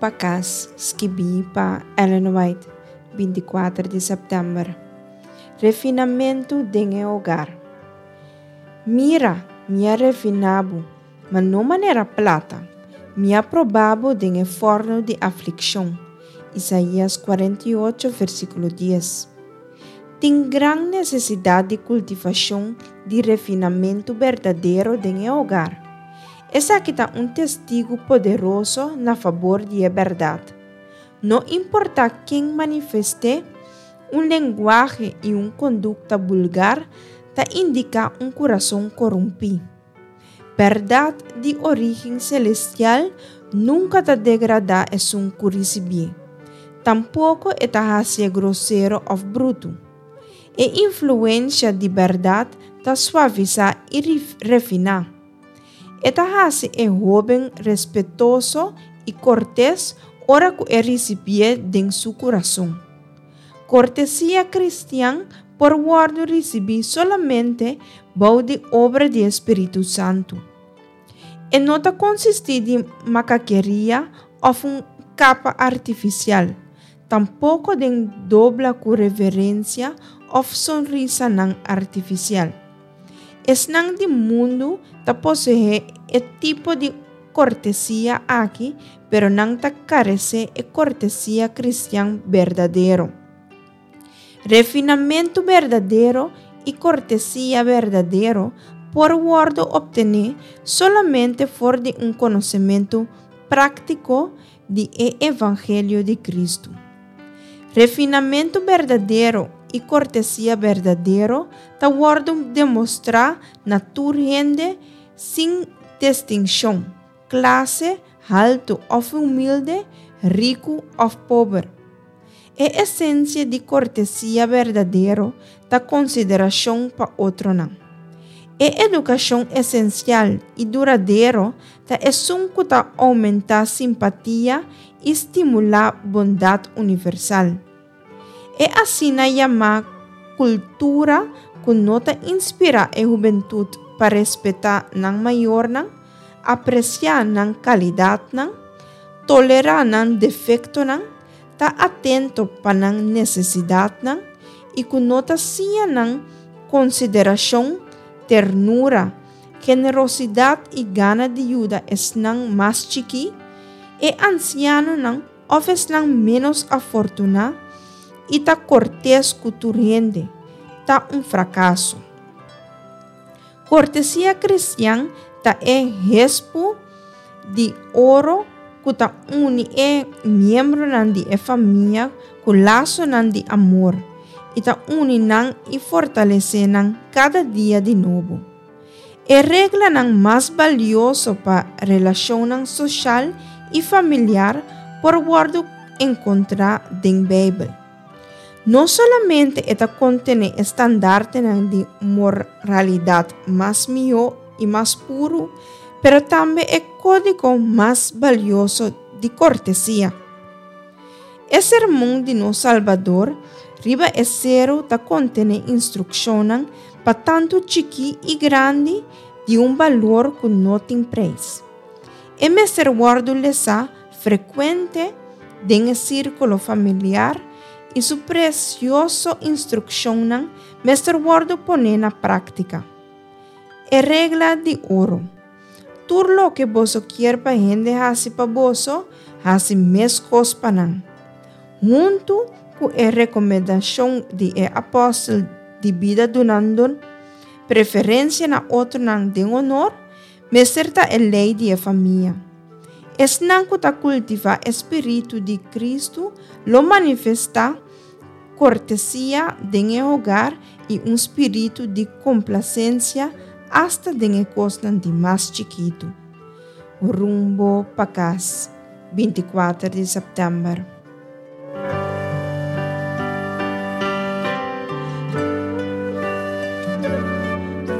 pa Kas, skibí pa Ellen White, 24 di sèptèmber. Refinamentu den e hogar. Mira, mi a refiná bo, ma no manera plata, mi a probá bo den e fòrnu di aflikshon. Isaías 48, versíkulo 10. Tin gran nesesidat di kultivashon di refinamentu berdadero den e hogar. Esaki ta un testigu poderoso na fabor di e bèrdat. No importá ken manifest'é, un lenguahe i un kondukta bulgar ta indiká un kurason korumpí. Bèrdat di orígen selestial nunka ta degradá esun ku risibié. Tampoko e ta hasié grosero òf brutu. E influensha di bèrdat ta suavisá i refiná. E ta hasi e hóben respetoso i kortes ora ku e risibié den su kurason. Kortesia kristian por wòrdu risibí solamente bou di obra di e Spiritu Santu. E no ta konsistí di makakeria òf un kapa artifisial, tampoko den dobla ku reverensia òf sonrisanan artifisial. Esnan di mundu ta poseé e tipo di kortesia aki, pero nan ta karesé e kortesia kristian berdadero. Refinamentu berdadero i kortesia berdadero por wòrdu optené solamente for di un konosementu práktiko di e evangelio di Kristu. Refinamentu berdadero i kortesia berdadero ta wòrdu demostrá na tur hende sin distinshon, klase, haltu òf humilde, riku òf pober. E esensia di kortesia berdadero ta konsiderashon pa otronan. E edukashon esensial i duradero ta esun ku ta oumentá simpatia i stimulá bondat universal. E asina yamá kultura ku no ta inspirá e hubentut pa respetá nan mayornan, apresiá nan kalidatnan, tolerá nan defektonan, ta atento pa nan nesesidatnan i ku no ta siña nan konsiderashon, ternura, generosidat i gana di yuda esnan mas chikí, e ansianonan òf esnan ménos afortuná, i ta kortes ku tur hende, ta un frakaso. Kortesia kristian ta e hespu di oro ku ta uni e miembronan di e famia ku lasonan di amor i ta uni nan i fortalesé nan kada dia di nobo. E reglanan mas balioso pa relashonnan soshal i familiar por wòrdu enkontrá den Beibel. No solamente e ta kontené e standartenan di moralidat mas mihó i mas puru, pero tambe e kódigo mas balioso di kortesia. E Sermon di nos Salbador riba e Seru ta kontené instrukshonnan pa tantu chikí i grandi di un balor ku no tin preis. E mester wòrdu lesá frekuente den e sírkulo familiar i su presioso instrukshonnan mester wòrdu poné na práktika. E regla di oro, Tur loke boso kier pa hende hasi pa boso, hasi meskos pa nan. Huntu ku e rekomendashon di e apòstel di bida dunando preferensia na otronan den honor, mester ta e lei di e famia. Esnan ku ta kultivá e spiritu di Kristu lo manifestá kortesia den e hogar i un spiritu di komplasensia asta den e kosnan di mas chikitu. Rumbo pa kas, 24 di sèptèmber.